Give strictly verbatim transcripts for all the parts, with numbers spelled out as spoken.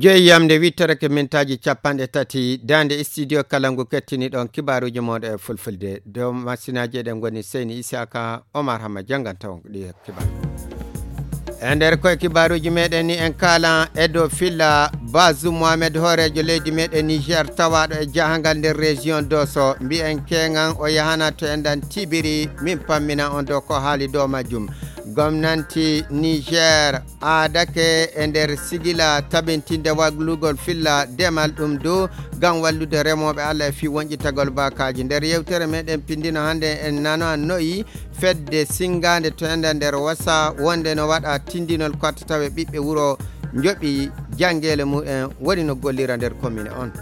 Joyi yamde wittere ke mintaaji capanɗe tati, daande studio kala ngu kettini ɗon kibaaruuji mooɗo e fulfulde. Dow masinaaji eɗen ngoni Seyni Isaka, Omar Hamma janngan taw ɗi kibar. E nder koye kibaaruuji meɗen ni en kalan e dow filla Bazoum Mohamed hooreejo leydi meɗen Niger tawaaɗo e jahangal nder région Dosso. Mbiyen keŋan o yahana to enɗan tibiri, min pammina on dow ko haali dow majjum. Gomnanti Niger aadake e nder sigila tabintinde wallugol filla demal ɗum dow ngam wallude remooɓe Allah e fii wonƴitagol baakaaji. Nder yewtere meɗen pindino hannde en nano noyi fedde singaande to enda nder wasa wonde no waɗa tindinol ko tawe ɓiɓɓe wuro njoɓi janngeele mumen woni no gollira nder commune on.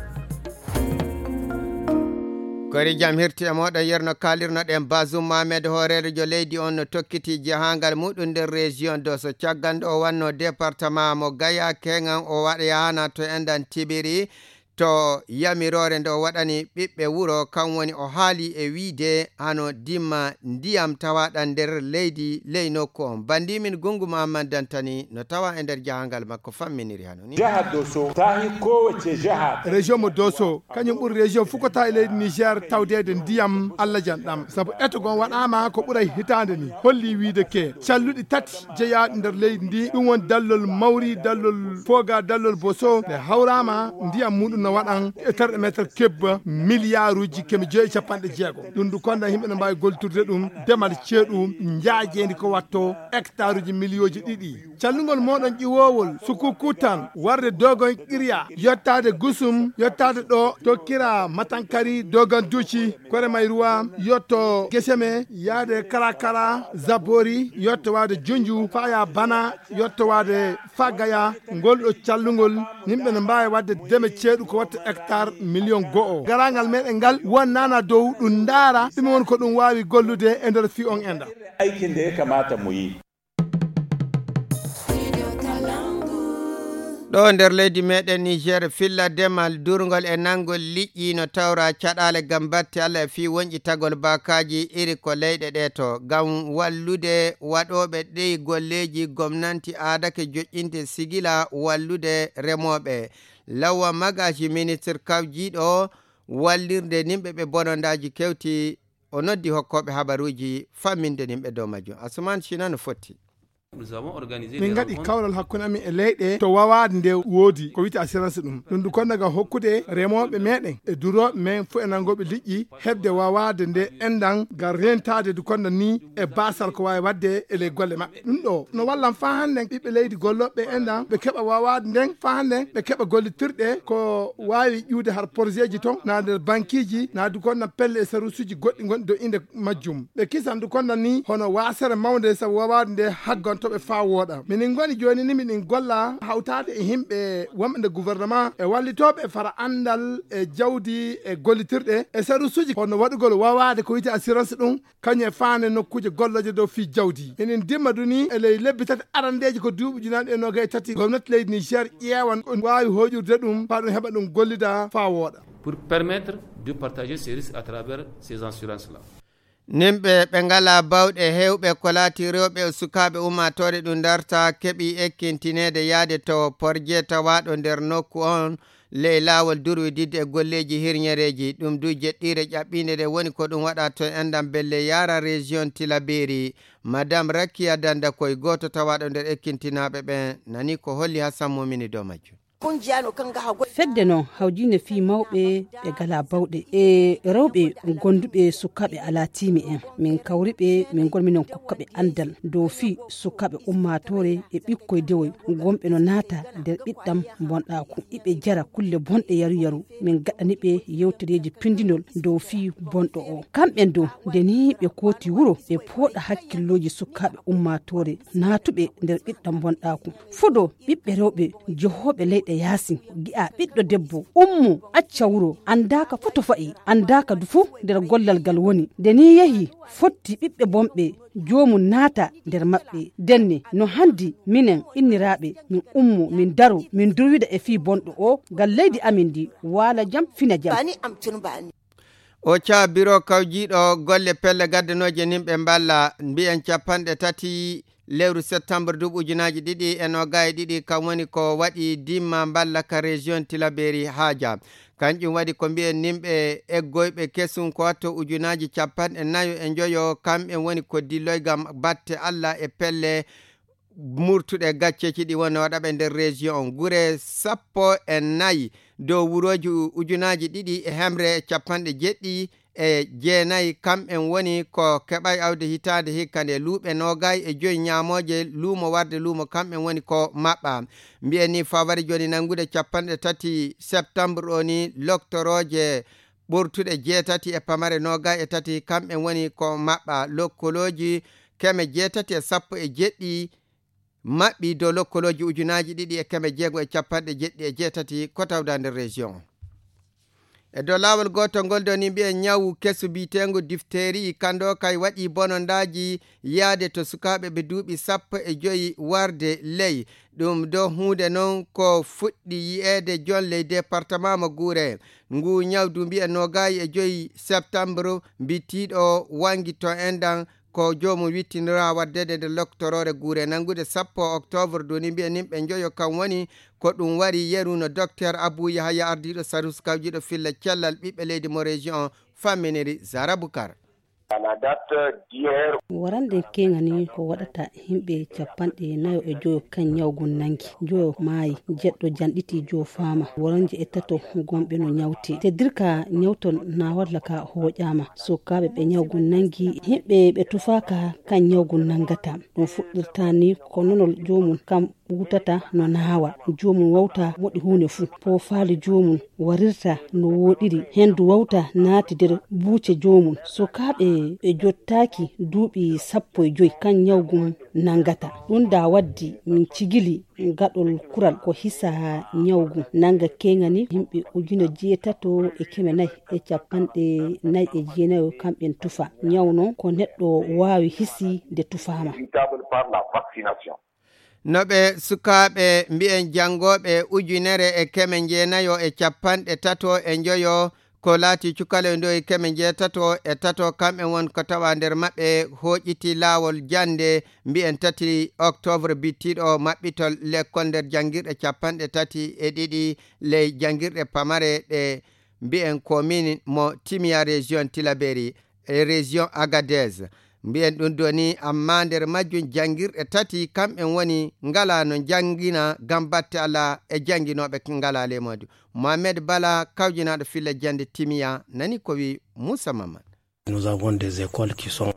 Kori jam hirti e moɗon yerno kalirnoɗen Bazoum Mohamed hooreejo leydi on no tokkiti jahangal muɗum nder région Dosso caggal nde o wanno département mo Gaya keŋan o waɗa yahana to enɗan tibiri to yamiroore nde o waɗani ɓiɓɓe wuro kan woni o haali e wiide hano dimma ndiyam tawaɗan nder leydi ley nokku on. Bandimin Gungu Muhammad Dantani no tawa e nder jahangal makko famminiri hano ni. Jaha Dosso, tahi kowace jaha. Région mo Dosso, kañum ɓuri région fukata e leydi Niger tawdeede ndiyam Allah janɗam. Sabu eto gon waɗama ko ɓuray hitaande ni. Holli wiide ke, calluɗi tati jeyaaɗi nder leydi ndi. Ɗum woni dallol Mawri, dallol Foga, dallol Boso. Nde hawrama ndiyam muɗum no waɗan e terɗe meetar kebba miliyaaruuji keme joyi e capanɗe jeego. Ɗum du konda yimɓe no mbaawi gollitirde ɗum, demal ceeɗu, njaajeendi ko watto hectaruuji miliyooji ɗiɗi. Callugol moɗon ƴiwoowol, sukuku tan, warde dogon qirya, yottaade gusum, yottaade ɗo, tokkira matankari, dogon duci, kore may ruwa, yotto geseme, yaade karakara, zabori, yotto waade junju, faya bana, yotto waade fagaya, ngol ɗo callugol, yimɓe no mbaawi waɗde deme ceeɗu ko watta hectare million go'o. Garangal meɗen ngal wonnana dow ɗum ndaara, ɗum won ko ɗum waawi gollude e nder fii on enda. Aikin da ya kamata mu yi. Ɗo nder leydi meɗen Niger, filla demal durngol e nangol liƴƴi no tawra caɗaale ngam batte Allah e fii wonƴitagol baakaaji iri ko leyɗe ɗe to. Ngam wallude waɗooɓe ɗi golleeji, gomnanti aadake joƴƴinde sigila wallude remooɓe. Lawa Magaji, ministre kawjiiɗo wallirde nimɓe ɓe bonondaaji kewti, o noddi hokkooɓe habaruuji famminde nimɓe dow majjum. Asuman Sina no fotti. Min ngaɗi kawral hakkunde amin e leyɗe to wawaade nde woodi ko wiyte assurance ɗum. Ɗum du konda ga hokkude remooɓe meɗen e durooɓe men fof e nangooɓe liƴƴi heɓde wawaade nde enɗan ngam rentaade du konda ni e basal ko waawi waɗde e ley golle maɓɓe. Ɗum ɗo no wallan faa hannden ɓiɓɓe leydi gollooɓe enɗan ɓe keɓa wawaade nden faa hannden ɓe keɓa gollitirɗe ko waawi ƴuwde har projet ji ton naa nder bankiiji naa du konda pelle e sarusuuji goɗɗi gonɗi dow innde majjum. Ɓe kisan du konda ni hono waasere mawnde sabu wawaade nde haggantoɓe faa wooɗa. Minin ngoni jooni ni miɗin golla hawtaade e himɓe wonɓe nder gouvernement e wallitooɓe fara anndal e jawdi e gollitirɗe e sarusuuji hono waɗugol wawaade ko wiyte assurance ɗum kañum e faande nokkuuje gollooje dow fii jawdi. Minin dimma du ni e ley lebbi tati arandeeji ko duuɓi ujunaaji e noogay e tati gomnati leydi Niger ƴeewan ko waawi hooƴirde ɗum faa ɗum heɓa ɗum gollida faa wooɗa. Pour permettre de partager ces risques à travers ces assurances-là. Nimɓe ɓe ngalaa bawɗe heewɓe ko laati rewɓe e sukaaɓe ummaatoore ɗum darta keɓi ekkintineede yaade to porje tawaaɗo nder nokku on ley laawol durwididde e golleeji hirñereeji. Ɗum du jeɗɗiire ƴaɓɓiinde nde woni ko ɗum waɗa to enɗam belle yaara région Tilaberi. Madame Rakiya Danda koye gooto tawaaɗo nder ekkintinaaɓe ɓen nani ko holli Hassan Momini dow majjum. Fedde noon hawjine fii mawɓe ɓe galaa bawɗe e rewɓe gonduɓe sukaaɓe alaa tiimi en. Min kawri ɓe, min ngoni minon kokkaɓe anndal dow fii sukaaɓe ummaatoore e ɓikkoy dewoy gonɓe no naata nder ɓiɗɗam bonɗaaku. Iɓe jara kulle bonɗe yaru yaru. Min gaɗani ɓe yewtereeji pindinol dow fii bonɗo o. Kamɓen dow, nde nii ɓe kooti wuro, ɓe pooɗa hakkillooji sukaaɓe ummaatoore naatuɓe nder ɓiɗɗam bonɗaaku. Fuɗo ɓiɓɓe rewɓe johooɓe leyɗe yaasin, gi'a ɓiɗɗo debbo ummo acca wuro, anndaaka fuu to fa'i, anndaaka du fuu nder gollal ngal woni. Nde nii yehi, fotti ɓiɓɓe bonɓe joomum naata nder maɓɓe. Ndenne, no hanndi minen inniraaɓe, min ummo, min daro, min durwida e fii bonɗo o, ngam leydi amin ndi waala jam, fina jam. O caa biro kawjiiɗo golle pelle gaddanooje nimɓe mballa, mbiyen capanɗe tati lewru septembre duuɓi ujunaaji ɗiɗi e noogaaji ɗiɗi, kam woni ko waɗi dimma mballa ka région Tilaberi Haaja. Kanƴum waɗi ko mbiyen nimɓe eggoyɓe kesum ko watto ujunaaji capanɗe nayo e njoyo, kamɓe woni ko dilloyga batte Alla e pelle murtuɗe gacceeji ɗi woni waɗaɓe nder région on. Gure sappo e nayi dow wurooji ujunaaji ɗiɗi e hemre e capanɗe jeɗɗi e jeenayi, kamɓen woni ko keɓay awde hitaande hikka nde. Luuɓe noogay e joyi ñaamooje luumo warde luumo, kamɓen woni ko maɓɓa. Mbiyen ni fawari jooni nanngude capanɗe tati septembre o ni loktorooje ɓurtuɗe jeetati e pamare noogay e tati, kamɓen woni ko maɓɓa. Lokkolooji keme jeetati e sappo e jeɗɗi maɓɓi dow lokkolooji ujunaaji ɗiɗi e keme jeego e capanɗe jeɗɗi e jeetati ko tawda nder région o. E dow laawol gootol ngol doni mbiyen ñawu kesu biyeteengu diphtérie kando kay waɗi bonondaaji yaade to sukaaɓe ɓe duuɓi sappo e joyi warde ley. Ɗum do huunde non ko fuɗɗi yi'eede jon ley département mo Guure. Ngu ñawdu mbiyen noogaayi e joyi septembre mbitiiɗo wangi to endan ko joomum wittinira waddede nde loktoroore Guure. Nanngude sappo octobre duni mbiyen nimɓe njoyo kam woni ko ɗum wari yeru no docteur Abou Yahaya, ardiiɗo sarus kawjiiɗo filla cellal ɓiɓɓe leydi mo région famminiri Zara Bukar. Warande keŋani ko waɗata himɓe capanɗe nayo e joyo kan ñawgun nangi, joyo maayi, jeɗɗo janɗiti jo faama, woronje e tato gomɓe no ñawti. Teddirka ñawton na walla ka hooƴaama. Sukaaɓe ɓe ñawgun nangi, himɓe ɓe tufaaka kan ñawgun nangata. Ɗum fuɗɗirta ni ko nonol joomum kam ɓutata no naawa. Joomum wawta moɗi huunde fuu. Poofaali joomum warirta no wooɗiri. Hendu wawta naati nder buuce joomum. Sukaaɓe ɓe jottaaki duuɓi sappo e joyi kan ñawgun nangata. Ɗum da waddi min cigili gaɗol kural ko hisa ñawgu nanga keŋani yimɓe ujune jeetato e keme nayi e capanɗe nayi e jeenayo kamɓen tufa. Ñaw non ko neɗɗo waawi hisi nde tufaama. No ɓe sukaaɓe mbiyen janngooɓe ujunere e keme jeenayo e capanɗe tato e njoyo, ko laati cukaloy ndoyi keme jeetato e tato, kamɓe won ko tawa nder maɓɓe hooƴiti laawol jannde mbiyen tati octobre bittiiɗo maɓɓitol lekkol nder janngirɗe capanɗe tati e ɗiɗi ley janngirɗe pamare ɗe mbiyen commune mo Timiya région Tilaberi e région Agadez. Mbiyen ɗum doni, amma nder majjum janngirɗe tati kamɓe woni ngala no njanngina ngam batte ala e jannginooɓe ngala lemodu. Mohamed Bala, kawjinaaɗo filla jannde Timiya, nani ko wi Moussa Mamad.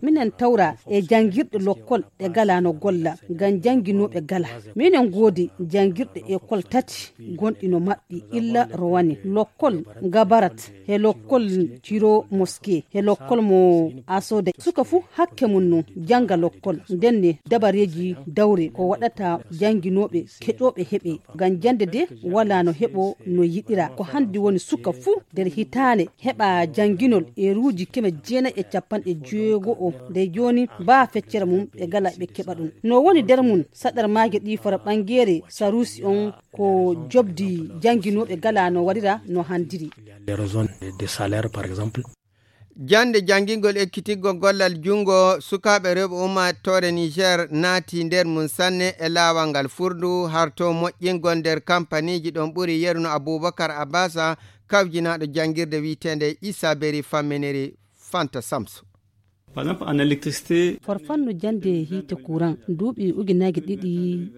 Minen tawra e janngirɗe lokkol ɗe galano golla ngam jannginooɓe gala. Minen ngoodi janngirɗe ekol tati gonɗi no maɓɓi illa rowani lokkol Gabarat e lokkol Ciro Moske e lokkol mo Asode. Suka fuu hakke mum no jannga lokkol. Ndenne dabareeji dawre ko waɗata jannginooɓe keƴooɓe heɓe. Ngam jannde de walaa no heɓo no yiɗira. Ko hanndi woni suka fuu nder hitaande heɓa jannginol eeruuji keme jeenayi e capanɗe jeego o. Ndey jooni baa feccere mum ɓe gala ɓe keɓa ɗum. No woni nder mum saɗar maaje ɗi fara ɓanngeere saruusi on ko jobdi jannginooɓe gala no waɗira no hanndiri. Jannde janngingol ekkitingol gollal junngo sukaaɓe rewɓe ummaatoore Niger naati nder mum sanne e laawal ngal furndu harto moƴƴingol nder kampaniiji ɗon ɓuri yeru no Abubakar Abasa kawjinaaɗo janngirde wiyeteende Issa Beri famminiri Fanta Samsu. Farfanno jannde hiite kuran duuɓi ujunaaji ɗiɗi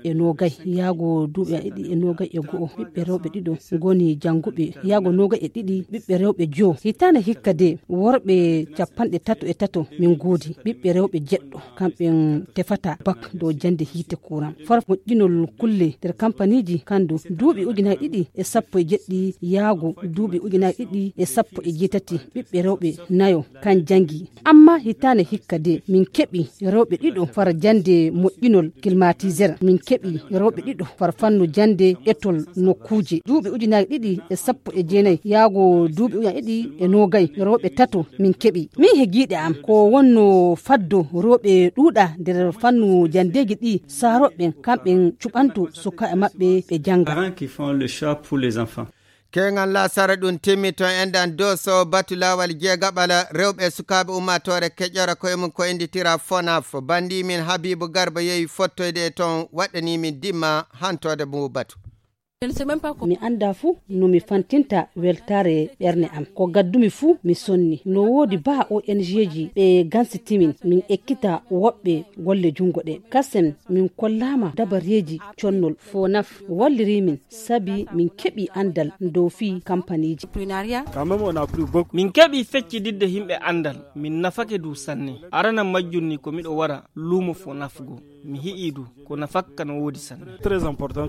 e noogay yaago duuɓi a ɗiɗi e noogay e go'o ɓiɓɓe rewɓe ɗiɗo ngoni jannguɓe yaago noogay e ɗiɗi ɓiɓɓe rewɓe jo. Hitaande hikka de worɓe capanɗe tato e tato min ngoodi ɓiɓɓe rewɓe jeɗɗo kamɓen tefata bak dow jannde hiite kuran. Far moƴƴinol kulle nder kampaniiji kandu duuɓi ujunaaji ɗiɗi e sappo e jeɗɗi yaago duuɓi ujunaaji ɗiɗi e sappo e jeetati ɓiɓɓe rewɓe nayo kan janngi. Amma hitaande hikka de min keɓi rewɓe ɗiɗo fara jannde moƴƴinol climatiseur, min keɓi rewɓe ɗiɗo fara fannu jannde etol nokkuuje. Duuɓi ujunaaji ɗiɗi e sappo e jeenayi yaago duuɓi ujunaaji ɗiɗi e noogay rewɓe tato min keɓi. Min he giiɗe am ko wonno faddo rewɓe ɗuuɗa nder fannu janndeeji ɗi saarooɓe ɓen kamɓen cuɓanto sukaaɓe maɓɓe ɓe jannga. Keŋal laasara ɗum timmi toon enɗan Dooso, batu laawal jeegaɓal rewɓe e sukaaɓe ummaatoore keƴora koye mum ko innditira Fonaf. Banndi min Habiibu Garba yehi fottoyde e toon, waɗɗanii min dimma hantoode mbo batu. Mi anndaa fuu no mi fantinta weltaare ɓernde am. Ko gaddumi fuu mi sonni. No woodi baa O N G ji ɓe gansiti min, min ekkita woɓɓe golle junngo ɗe. Kasen min kollaama dabareeji connol. Fonaf walliri min sabi min keɓi anndal dow fii kampaniiji. Min keɓi feccididde himɓe anndal, min nafake du sanne. Arana majjum ni ko miɗo wara luumo Fonaf go. Mi hi'i du ko nafakka no woodi sanne. Très important.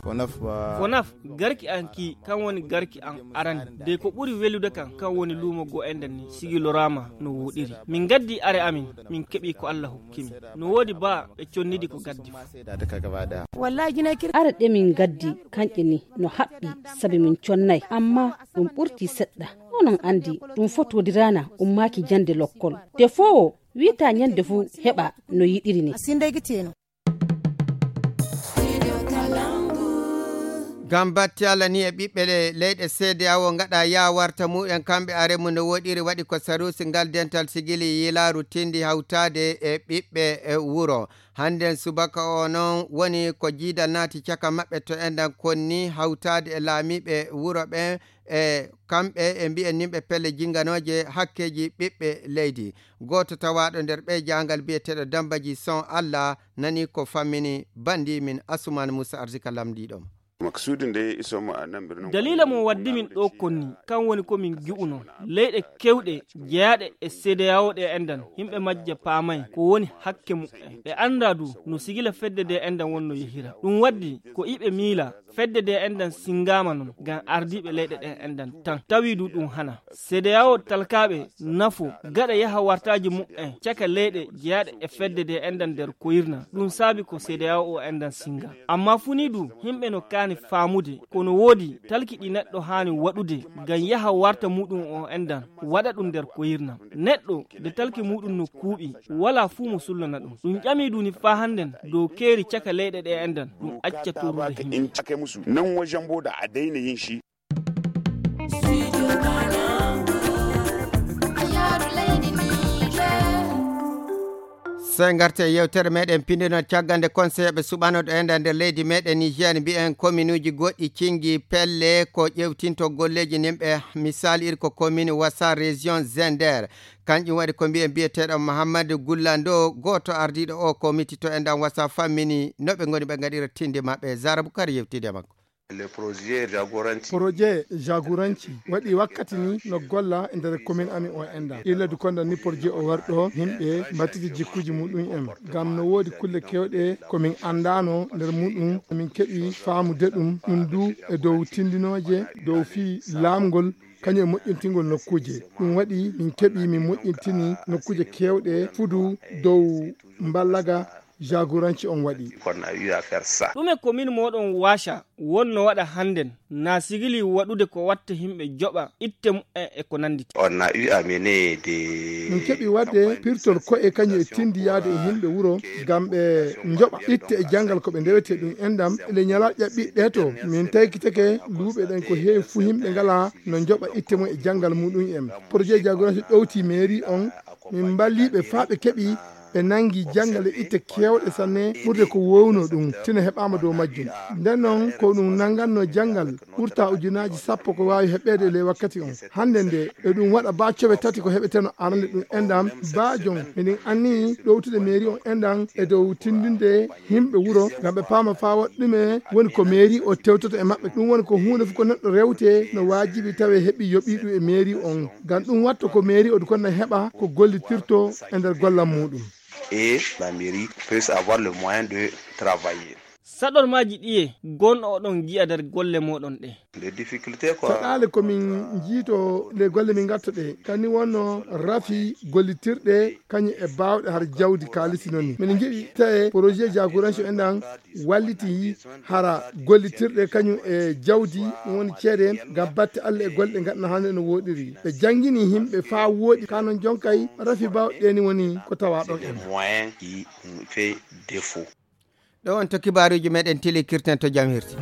Fonaf, garki an ki, kan woni garki an arani. De ko ɓuri welude kan, kan woni luumo go enɗan ni, sigi loraama no woɗiri. Min gaddi are amin, min keɓi ko Allah hokki min. No woodi baa ɓe connidi ko gaddi fuu. Are ɗe min gaddi, kanƴe ni no haɓɓi, sabi min connay. Amma ɗum ɓurti seɗɗa. Onon anndi, ɗum fotodirana ummaaki jannde lokkol. Defoowo wiita ñande fuu heɓa no yiɗiri ni. Ngam batte Allah ni e ɓiɓɓe le-, leyɗe C D A O ngaɗa yaa warta mumen kamɓe are mum no woɗiri waɗi ko sarusi ngal dental sigili yilaaru tindi hawtaade e ɓiɓɓe e wuro. Hannden subaka o noon woni ko jiidal naati caka maɓɓe to enɗan konni hawtaade e laamiiɓe wuro ɓe e kamɓe e mbiyen nimɓe pelle jinnganooje hakkeeji ɓiɓɓe leydi. Gooto tawaaɗo nder ɓee jaangal biyeteeɗo Dambaji Son Allah nani ko fammini banndi min Asuman Muusa Arzika lamndiiɗo mo. Maksuudi nde iso mo a namɓir noon. Daliila mo waddi min ɗo konni, kan woni ko min gi'uno. Leyɗe kewɗe jeyaaɗe e C D A O ɗe enɗan, yimɓe majje paamay ko woni hakke muɓɓen. Ɓe anndaa du no sigila fedde nde enɗan wonno yehira. Ɗum waddi ko iɓe miila fedde nde enɗan singaama noon ngam ardiiɓe leyɗe ɗen enɗan tan. Tawi du ɗum hana. C D A O talkaaɓe nafo gaɗa yaha wartaaji muɓɓen caka leyɗe jeyaaɗe e fedde nde enɗan nder koyirna. Ɗum saabi ko C D A O enɗan singa. Amma fuu ni du, yimɓe no kaani faamude ko no woodi talki ɗi neɗɗo haani waɗude ngam yaha warta muɗum o enɗan, waɗa ɗum nder koyirna. Neɗɗo nde talki muɗum no kuuɓi, walaa fuu mo sullana ɗum. Ɗum ƴami du ni faa hannden dow keeri caka leyɗe ɗe enɗan, ɗum acca torrude yimɓe. Nan wajen boda a daina yin shi. Sey ngarte e yewtere meɗen pinndino caggal nde conseilɓe suɓanoɗo enɗan nder leydi meɗen Niger, mbiyen kominuuji goɗɗi cingi pelle ko ƴewtinto golleeji nimɓe, misal iri ko commune Wassa, région Zender. Kanƴum waɗi ko mbiyen biyeteeɗo Mahammadu Gullando, gooto ardiiɗo o komiti to enɗan Wassa fammini no ɓe ngoni ɓe ngaɗira tinde maɓɓe. Zara Bukar yewtide makko. Projet jagoranci waɗi wakkati ni no golla e nder commune amin o enɗan. Illa du konda ni projet o warɗo yimɓe mbattiti jikkuji muɗum en. Ngam no woodi kulle kewɗe ko min anndano nder muɗum, min keɓi faamude ɗum, ɗum du e dow tindinooje, dow fii laamgol, kañum e moƴƴintingol nokkuuje. Ɗum waɗi min keɓi min moƴƴintini nokkuuje kewɗe fudu dow mballaga jagoranci on waɗi. Ɗume commune moɗon Wacha wonno waɗa hannden? Na sigili waɗude ko watta yimɓe joɓa itte muɓɓen e ko nandi. On a eu à mener des Min keɓi waɗde pirtol ko'e kañum e tindi yaade e yimɓe wuro ngam ɓe njoɓa itte e janngal ko ɓe ndewete ɗum enɗan. Ele ñalaaɗe ɓiɓɓe to min taykitake luuɓe ɗen ko heewi fuu yimɓe ngala no njoɓa itte mum e janngal muɗum en. Projet jagoranci ɗowti mairie on. Min mballiiɓe faa ɓe keɓi ɓe nanngi janngal e itte keewɗe sanne ɓurde ko woowno ɗum, tino heɓaama dow majjum. Nden noon ko ɗum nannganno janngal ɓurta ujunaaji sappo ko waawi heɓeede e ley wakkati on. Hannde nde e ɗum waɗa baa cowe tati ko heɓeteno arande ɗum enɗan baa jom. Miɗen anni ɗowtude mairie on enɗan e dow tindinde yimɓe wuro ngam ɓe paama faa waɗ ɗume woni ko mairie o tewtoto e maɓɓe. Ɗum woni ko huunde fof ko neɗɗo rewte no waajibi tawe heɓi yoɓii ɗum e mairie on. Ngam ɗum watta ko mairie o kon na heɓa ko gollitirto e nder gollal muɗum. Et la mairie puisse avoir le moyen de travailler. Saɗormaaji ɗiye gonɗo oɗon ngi'a nder golle moɗon ɗe? Les difficultés quoi. Saɗaale ko min njiito nde golle min ngatto ɗe kani wonno rafi gollitirɗe kañum e baawɗe har jawdi kaalisi noon ni. Min ngiɗi tawe projet jagoranci en ɗan walliti hara gollitirɗe kañum e jawdi ɗum woni ceede ngam batte Allah e golle ɗe ngaɗna hannde no woɗiri. Ɓe janngini yimɓe faa woɗi ka noon jonkay rafi baawɗe ɗe ni woni ko tawa ɗon en. Moyen qui fait défaut. Ɗo on to kibaaruuji meɗen tilikirten to jam hirti.